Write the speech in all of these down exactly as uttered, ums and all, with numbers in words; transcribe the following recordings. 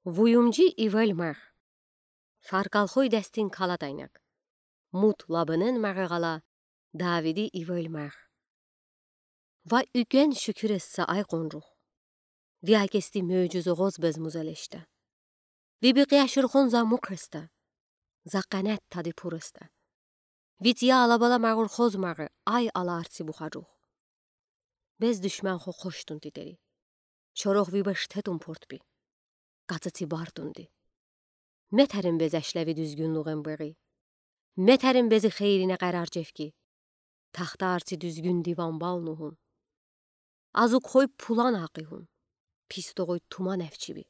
Вуюмжи ивел мар. Фаркалхой дастин калатайнак. Мут лабынын маригалла Давиди ивел мар. Ва уькен шуькур эста, ай къонжух. Ви акести мёжюз оғоз безмузелешта. Ви бикъи аширхон за мукъ эста. За къанат тади пур эста. Ви циял алабала марурхоз мари, ай аларци бухажух. Без душманхо хошдун титери. Шорох ви бештетун пуртби. Кацеци бартунди. Метерин безешлеви дуьзгюнлугъен бери. Метерин бези хейрине къарар жефги. Тахтаарци дуьзгюн диван бал нугун. Азукхой пулан акъигун. Пис тоғой туман эвчиби.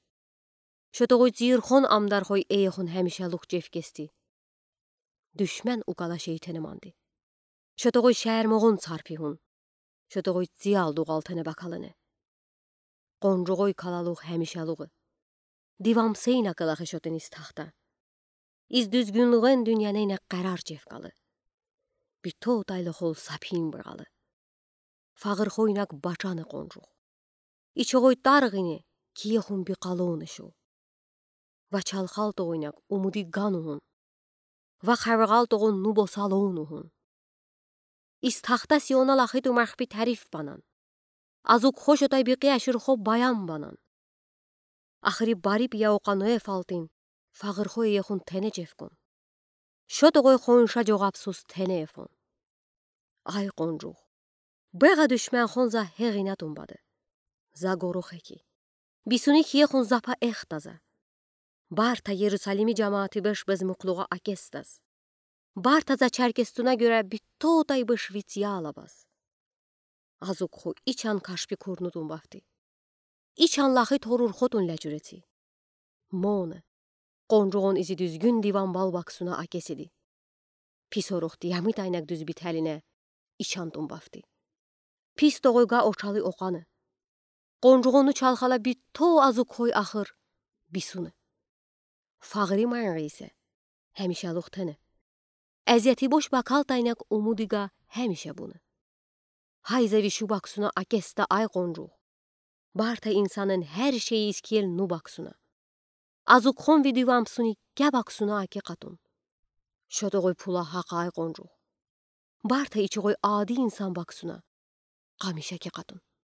Шо тоғой цийирхон амдархой эйехун хемишелух жефгести. Душман укала шейтене манди. Шо тоғой шаьрмоғун царпигун. Шо тоғой циял дугъалтене бакалыны. Къонжугой калалух хемишелугъы. Дивамсейна кылахы шотын из тахта. Из дуьзгюнлугъен дуьньянейна къарар жефгалы. Битотайлы хол сапин быралы. Фагъырхойнак бачаны къонжух. Ичогой таргъини киехун бикалуну шу. Ва чалхал тоғойнак умуди гану гун. Ва хавргъал тоғун ну босалуну гун. Из тахта Сиона лахи тумархби тариф банан. Азукхо шотай бикъи аширхо баян банан. Ахыри бари пияуқа Ноев алтын, фагъырхо эйехун тене жефгун. Шо тоғой хонша жоғапсуз тене эфун. Ай къонжух. Бегъа душманхон за хегина тумбады. За горох эки. Бисуни киехун запа эхта за. Барта Ерусалими жамаати беш безмуклуға акестаз. Барта за чаркестуна гёре битотай беш вицъя алабаз. Азукху ичан кашпи курну тумбавти. Ичан лахи торурхотун лячуреци. Моны. Къонжуғун изи дуьзгюн диван бал баксуна акесиди. Пис орухти ямит айнак дуьз биталине ичан тумбавти. Пис тоғойга очали окъаны. Къонжуғуну чалхала битто азукхой ахыр бисуны. Фагъри майнрийсе, хемишалух тене. Эзети бош бакалтайнак умудига хемиша буны. Хайза вишу баксуна акеста ай къонжуғ. Барта инсанын хер шейи искел ну баксуна. Азукхон видивамсуни кя баксуна аки къатун. Шо тоғой пула хақай къонжуғ. Барта ичуғой ади инсан баксуна. Къамиша ки къатун.